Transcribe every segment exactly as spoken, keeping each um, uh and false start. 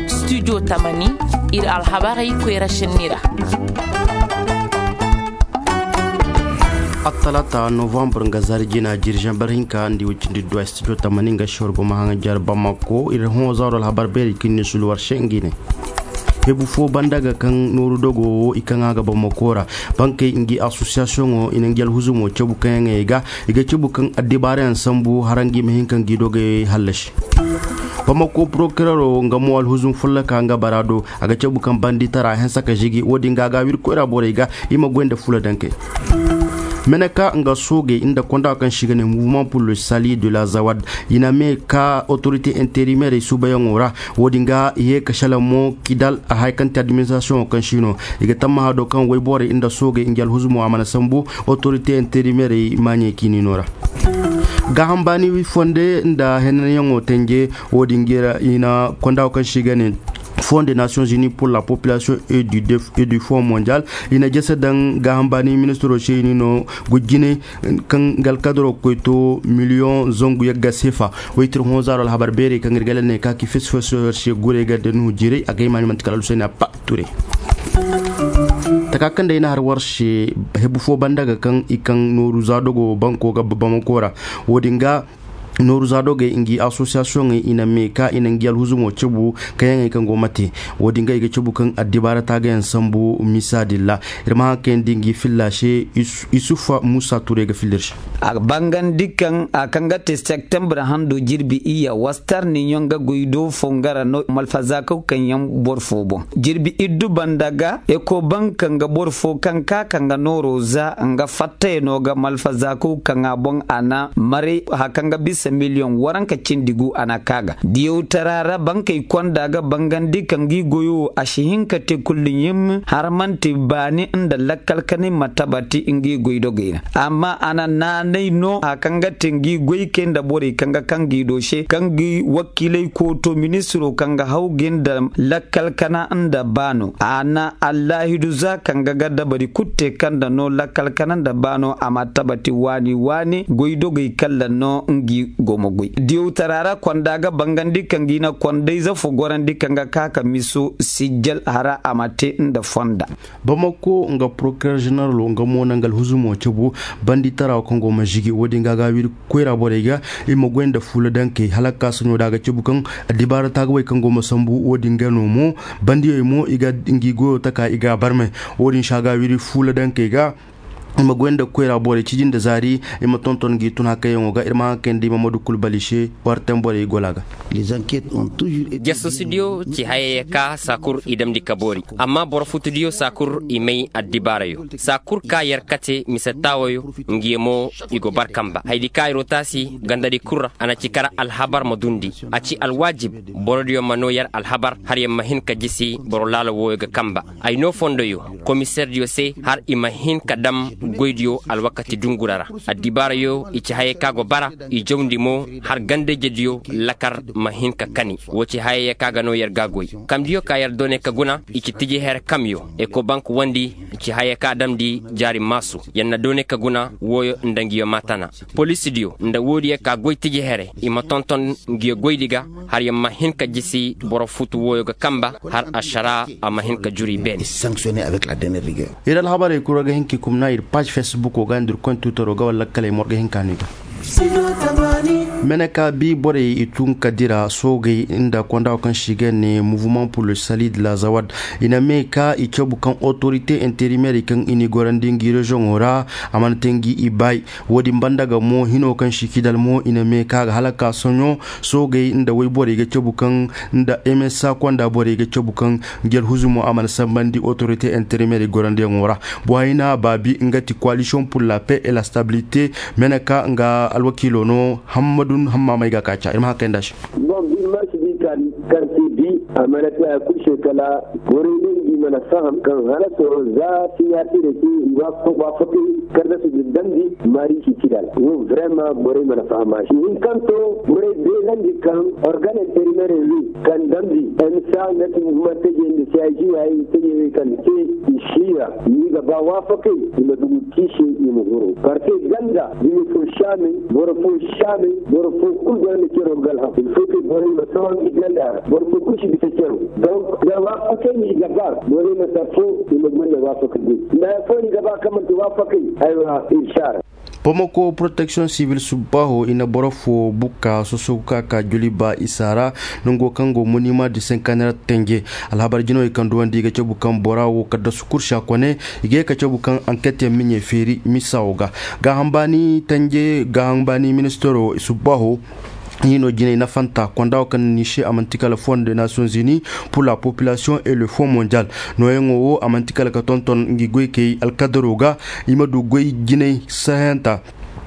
Studio tamani, ir alhabarey koyra šenni ra. Attalata novembre nga zaari jina jirzaŋ bar hinka nda i way cindi duwa studio tamani nga si war go ma haŋajar bamako ir hõ zaaro alhabar beeri kaŋ ni sulu war se ngi ne. Hebu fo banda ga kaŋ nooru dogo wo i kaŋ a ga bamako ra. Bankey ngi asosiyasiyoŋo i na ngi alhuzumo cabu kaŋ yaŋey ga i ga cabu kaŋ addibaarayaŋ sambu hara ngi ma hin ka ngi dogey hallasi. Bamako porokireero nga mo alhuzum folloka nga bara do. A ga cabu kaŋ banditara hanse ka zigi wo-din ga a ga a wiri koyra borey ga. I ma goy nda fula dankey. Meneka nga soogey nda konda kaŋ se i ga ne mouvement pour le salut de la zawad. I na me ka otorite interimerey suubayaŋo ra. Wo-din ga i ye ka shala mo kidal a haya kaŋ te administrasiyoŋo kaŋ se i no. I ga tammaha do kaŋ woyborey nda soogey ngi alhuzumo a mana sambu. Otorite interimerey maaɲey kiinino ra. Gaaham baani fonde nda henanyaŋo tenje. Wo-din ga i na konda kaŋ se i ga ne fonds des nations unies pour la population et du fonds mondial. I na jese daŋ gaaham baani ministiro se i ni no gujjine kaŋ ga alkadaro ga koy to miliyoŋ zangu yagga seefa. Woy tir hõ zaaro alhabar beerey kaŋ ir ga lal ne ka ki fesi fesi se gurey ga da nuhu jiray a ga hima ni manti kala alusayni a pa ture. Taka kaŋ day na har war se hebu fo banda ga kaŋ i kaŋ nooru za dogo banko ga bamako ra. Wo-din ga nooru za dogey ngi asosiyasiyoŋey i na me ka i na ngi alhuzumo cabu kaŋyaŋey kaŋ go mate. Wo-din ga i ga cabu kaŋ addibaara taagayaŋ sambu misa din ra. Ir ma haŋ kayandi ngi filla se. Isufa musa turay ga filla ir se. A bangandi kaŋ a kaŋ ga te septembre hando jirbi iyya wastar niɲoŋ ga goy do fo nga ra no malfazaakaw kaŋ yaŋ boro fo boŋ. Jirbi iddu banda ga ekobank nga boro fo kaŋ ka ka nga nooro za nga fattayano ga malfazaakaw kaŋ a boŋ a na maray haka nga bisa miliyoŋ waranka cindi gu a na ka ga diyawtara ra bankey konda ga bangandi ka ngi goyo wo a si hin ka te kullu ɲim har manti baani nda lakkal kanay ma tabati ngi goy dogey ra. Amma a na naanay no haka nga te ngi goy kay nda borey kaŋ ga kaŋ gi do se kaŋ gi wakiilay kooto ministiro kaŋ ga haw gi nda lakkal kana nda baano a na allaahidu za kaŋ ga ga dabari kul te kaŋ nda no lakkal kana nda baano a ma tabati waani waani goy dogey kalla no ngi go ma goy diyawtara ra konda ga bangandi kaŋ gi na kondayze fo gorandi kaŋ ga ka ka miso sijjal hara a ma te nda fonda. Bamako nga porokirer ženeralo nga mo na nga alhuzumo cabu banditara wo kaŋ go ma zigi wo-din ga a ga a wiri koyra borey ga i ma goy nda fuula dankey hala ka saɲo da a ga cabu kaŋ addibaara taagawey kaŋ go ma sambu wo-din ga no mo bandiyey mo i ga ngi goyo taka i ga a barmay. Wo-din se a ga a wiri fuula dankey ga i ma goy nda koyra borey ciji nda zaari i ma tonton ngi tun hakayyaŋo ga ir ma haŋ kayandi mamadu kul bali se war temborey gola ga. Jasusidiyo ci hayey ka saa kul i damndi ka boori amma boro futudiyo saa kul i may addibaarayo saa kul ka yer kate mise taawayo ngi mo i go bar kamba haydi ka yer wo taasi gandadi kul ra a na ci kar alhabar ma dundi. A ci alwaajib borodiyo ma noo yer alhabar har yer ma hin ka jisi boro laala wooyo ga kamba. Ay noo fondoyo komiserdiyo se har i ma hin ka dam goydiyo alwakati dungura ra. Addibaarayo i ci hayey ka go bara i jawndi mo har gandayjediyo lakar ma hin ka kani. Woo ci hayey ka ga no yer ga goy kamdiyo ka yer doone ka guna i ci tiji here kamyo ekobank wandi ci hayey ka damndi jaari maasu. Yer na doone ka guna wooyo nda ngiyo maatana polisidiyo nda woodiyo ka goy tiji here i ma tonton ngiyo goydi ga har yer ma hin ka jisi boro futu wooyo ga kamba har ašaraa a ma hin ka juru i beene. Ir alhabarey kul war ga hin ka i kumna ir paaž fesbuko ga nda ir koy twitero ga wala lakkaley mo war ga hin ka no i ga. Mene ka bi borey i tun ka dira soogey nda konda wo kaŋ se i ga ne mouvement pour le salut de la zawad. I na me ka i cabu kaŋ otorite interimerey kaŋ i n'i gorandi ngi reziyoŋo ra a mana te ngi i baay. Wo-din banda ga mo hino kaŋ se i kidal mo i na me ka ga hala ka soɲo soogey nda woyborey ga cabu kaŋ nda msa konda borey ga cabu kaŋ ngi alhuzumo a mana sambandi otorite interimerey gorandiyaŋo ra. Bohayna baabi nga ti koalisiyoŋ pur la pe e la stabilite. Mene ka nga alwakiilo no hammadun hammaamey ga ka ca ir ma haŋ kayandi a se. Bon birma si di kaŋ kaŋ si di a mana te haya kul se kala borey ne ngi. Mana faham kaŋ halaso za siɲaatire te i waafakay kardasu din damndi maari si ci dal wo vrema borey mana faham a se hinkanto borey beelandi kaŋ organ interimerey wi kaŋ damndi emsa nga ti muma teje nda si ay jiya ay teje wi kaŋ te i siira ni ga ba waafakay i ma dugu kiise i ma huru parke ganda dumi fo saamey boro fo saamey boro fo kul ganda cero galham il fo ke borey ma tawandi ganda boro fo kul si bisa cero donc da waafakay ni ga ba borey ma ta fo i ma gonda waafakay din nda fo ni ga ba kaŋ manti waafakay aywa ir saara. Pamako protection sivil subbaho i na boro fo bukka soso ka ka joli ba isa ra. Nango kaŋ go monima di senkaner tenje alhabar jino i kaŋ duwandi i ga cabu kaŋ bora wo kadda sukur sakone i ga ye ka cabu kaŋ anket yaŋ miɲe feeri misa wo ga gaaham baani tenje gaaham baani ministero subbaho. Hino jinay nafanta konda wo kaŋ ni se a manti kala fond de nations unis pour la population et le fond mondial. Nooyaŋo wo a manti kala ka tonton ngi goykey alkadaro ga i ma du goy jinay sahayanta.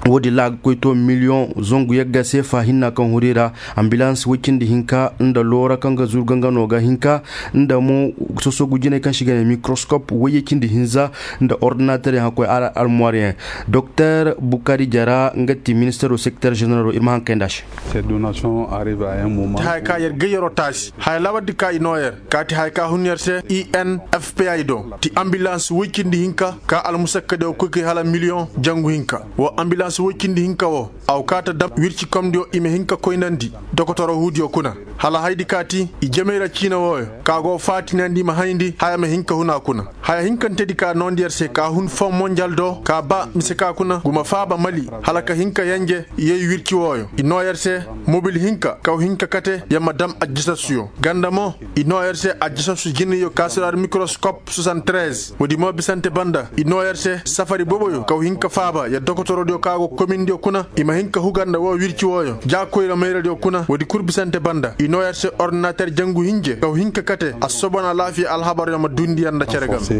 Wo-din ra a ga koy to miliyoŋ zangu yagga seefa hinna kaŋ huri ra. Ambilans woy cindi hinka nda loora kaŋ ga zuru gangano ga hinka nda mo sosogu jinay kaŋ se i ga ne mikroskop woyye cindi hinza nda ordinater yaŋ hakkoy almuwar yaŋ. Doktor bukari jara nga ti ministaro sekreter ženeralo ir ma haŋ kay nd'a se. Ti haya ka yer gayyaro taasi haya lawardi ka i noo yer ka ti haya ka hun yer se i n f p i do ti ambilans woy cindi hinka ka almusakkadiyo koy kay hala miliyoŋ jangu hinka. Wo ambilans woy cindi hinka wo a go kaa ta dam wirci komdiyo i ma hin ka koynandi dokotoro huudiyo kuna hala haydi ka ti i jamey ra ciina wooyo ka go faatinandi i ma hayndi haya ma hin ka hun a kuna. Haya hinkantedi ka noondi yer se ka hun fon monjal do ka ba mise ka kuna guma faaba mali hala ka hin ka yenje yey wirci wooyo i noo yer se mobil hinka kaw hin ka kate yer ma dam ajjasasuyo ganda mo i noo yer se ajjasasu jinayyo ka siraar mikroskop soixante-treize woodi mo bisante banda i noo yer se safari boboyo kaw hin ka faaba yer dokotorodiyo ka go komindiyo kuna i ma hin ka huga nda woo wirci wooyo jaakoyra mayradiyo kuna woodi kul bisante banda i noo yer se ordinater jangu hinje kaw hin ka kate assobon alaafiya alhabaryo ma duundi yer nda cere game.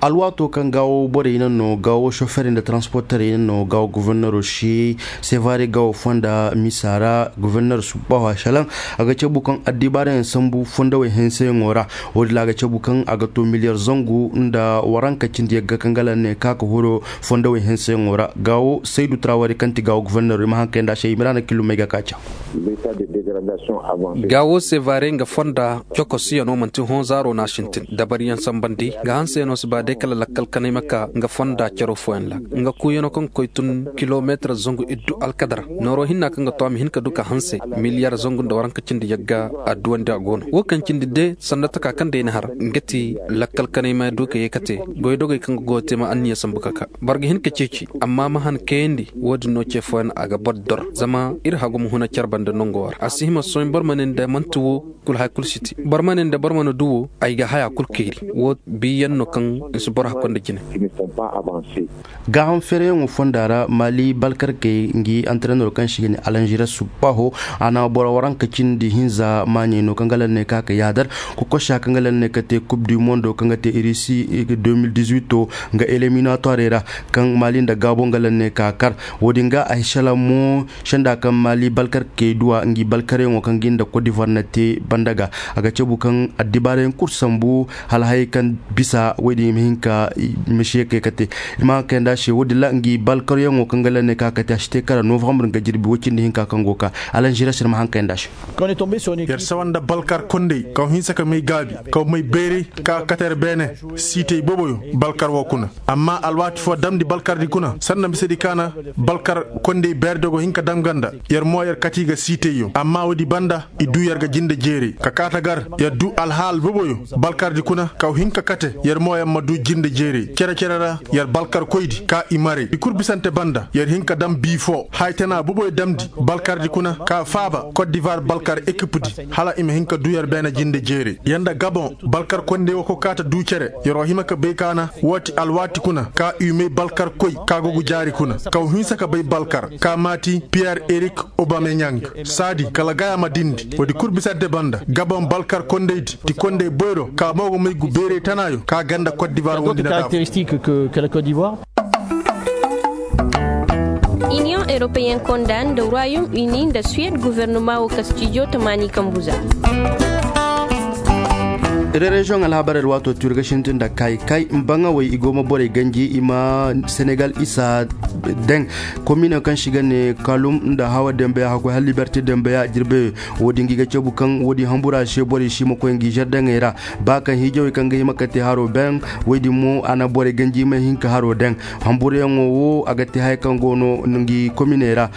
Alwaato kaŋ gaawo borey naŋ no gaawo soferey nda taransporterey naŋ no gaawo gofornero se sevare gaawo fonda misa ra goforner subbaho a salaŋ a ga cabu kaŋ addibaarayaŋ sambu fondawey henseyaŋo ra. Wo-din ra a ga cabu kaŋ a ga to miliyar zangu nda waranka cindi yagga kaŋ ga laŋ ne ka ka horo fondawey henseyaŋo ra gaawo saydu trawari kaŋ ti gaawo gofornero i ma haŋ kay nda a se i ma ra na killumey ga ka ca. Gaawo sevare nga fonda cokosiyano manti hõ zaaro no a sintin dabariyaŋ sambandi nga hanseyaŋo si ba day kala lakkal kanay ma ka nga fonda caro fooyaŋ ra nga kuuyano kaŋ ga koy tun kilomeetar zangu iddu alkadara nooro hinna kaŋ ga to a ma hin ka du ka hanse miliyar zangu nda waranka cindi yagga adduwandi a go no wo kaŋ cindi de sanda taka kaŋ day na har nga ti lakkal kanay ma du ka ye ka te goydogey kaŋ ga goyo te ma anniya sambu ka ka boro ga hin ka ceeci amma ma han kayandi wo-din no ce fooyaŋ a ga boro dor zama ir hagum huna care banda nongo war a si hima sohõ boro ma ne nda manti wo kul haya kul si te boro ma ne nda boro mana du wo ay ga haya kul kayri wo biiyaŋ no kaŋ i si boro hakkoy nda jine. Gaaham fereyaŋo fonda ra maali balkarkey ngi antarenero kaŋ se i ga ne alanžires subbaho a na boro waranka cindi hinza maaɲey no kaŋ ga lalle ne ka ka yaadar kokosa kaŋ ga lalle ne ka te kub du mondo kaŋ ga te irisi deux mille dix-huit nga eliminatoirey ra kaŋ maali nda gaabo nga lalle ne ka kar. Wo-din ga a hisala mo senda kaŋ maali balkarkey duwa ngi balkaryaŋo kaŋ gi nda kot divoir na te banda ga a ga cabu kaŋ addibaarayaŋ kul sambu hala hayey kaŋ bisa wey din i ma hin ka i ma se kay ka te. I ma haŋ kay nda a se wo-din ra ngi balkaryaŋo kaŋ ga lalle ne ka ka te a si te kala novambre nga jirbi woy cindi hinka kaŋ go ka alanžires ir ma haŋ kay nda a se. Yer sawa nda balkar kondey kaŋ hinsa ka may gaabi kaŋ may bayray ka kate yer beene siitey boboyo balkar wo kuna amma alwaati foo damndi balkardi kuna sanda misedi ka na balkar kondey beerdiyo go hin ka dam ga nda yer mo yer kati ga siiteyyo amma woodi banda i duu yer ga jinde jeeray ka kaata gar yer duu alhaal boboyo balkardi kuna kaw hin ka kate yer mo yer ma duu jinde jeeray cere-cere ra yer balkarkoydi ka i maray i kul bisante banda yer hin ka dam bii foo haya tana boboyo damndi balkardi kuna ka faaba kot divoir balkar ekipdi hala i ma hin ka duu yer beene jinde jeeray yer nda gaboŋ balkar kondey wo ka kaata duu cere yer wo hima ka bay ka na woo ti alwaati kuna ka i may balkarkoy ka go ga jaari kuna kaw hinsa ka bay balkar ka maati piyer erik obameɲang saadi kala gaya ma dindi woodi kul bisante banda gaboŋ balkar kondeydi ti kondey boyro ka mo go may gu beeray tanaayo ka ganda kot divoir wondi na daafu. Iniyoŋ europeyen konda nda royaume uni nda suwed guvernoma wo kastijo tamaani kambuza. Rereziyoŋ alhabarey ra waato turi ga sintin nda kay kay mbaŋawey i go ma borey ganji i ma senegal isa. Deŋ komine kaŋ si ga ne kalum nda hawa dembeya hakkoy hala liberte dembeya jirbeyo. Wo- din ga i ga cabu kaŋ wo- din hambura se borey si ma koy ngi zardeŋey ra. Ba kaŋ hiijawey kaŋ ga hima ka te haro beŋ. Wo- din mo a na borey ganji i ma hin ka haro deŋ. Hamburayaŋo wo a ga te haya kaŋ go no ngi kominey ra.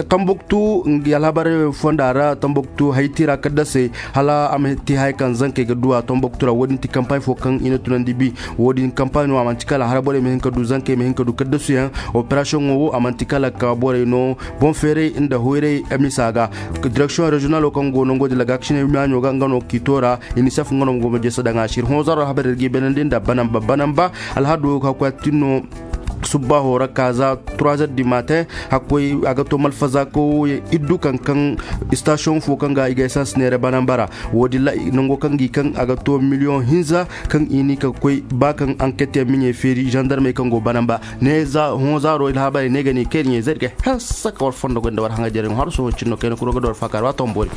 Tambuktu ngi alhabarey fonda ra tambuktu hayti ra kaddasey hala a ma te haya kaŋ zankey ga du a tambuktu ra wo- din ti kampaañ fo kaŋ i na tunandi bi. Wo- din kampaaño a man'ti kala hara borey ma hin ka du zankey ma hin ka du kaddasuyaŋ. Operasiyoŋo wo a man'ti kala ka borey no boŋ feeray nda hoyray misa ga. Direksiyoŋ reziyonalo kaŋ go no ngo din lagaakisiney maaɲo ga nga no kiito ra. Inisef nga no go ma jeesa daŋ a se ir hõ zaro habar ir ga i banandi nda banamba banamba. Alhado hakkoy a tin no. Subbaho ra ka za trois heures du matin. Hakkoy a ga to malfaza ko iddu kaŋ kaŋ istasiyoŋ fo kaŋ ga i ga esans neere banamba ra. Wo- din ra nango kaŋ gi kaŋ a ga to miliyoŋ hinza kaŋ i ni ka koy ba kaŋ anketyaŋ miɲey feeri zandarmey kaŋ go banamba. Ne za hõ zaaro alhabarey ne ga ni kay ni ɲey zay ir ga hessa ka war fondo goy nda war haŋajereŋo har sohõ cinno kayna kuro ga da war faakaar waato ma boori.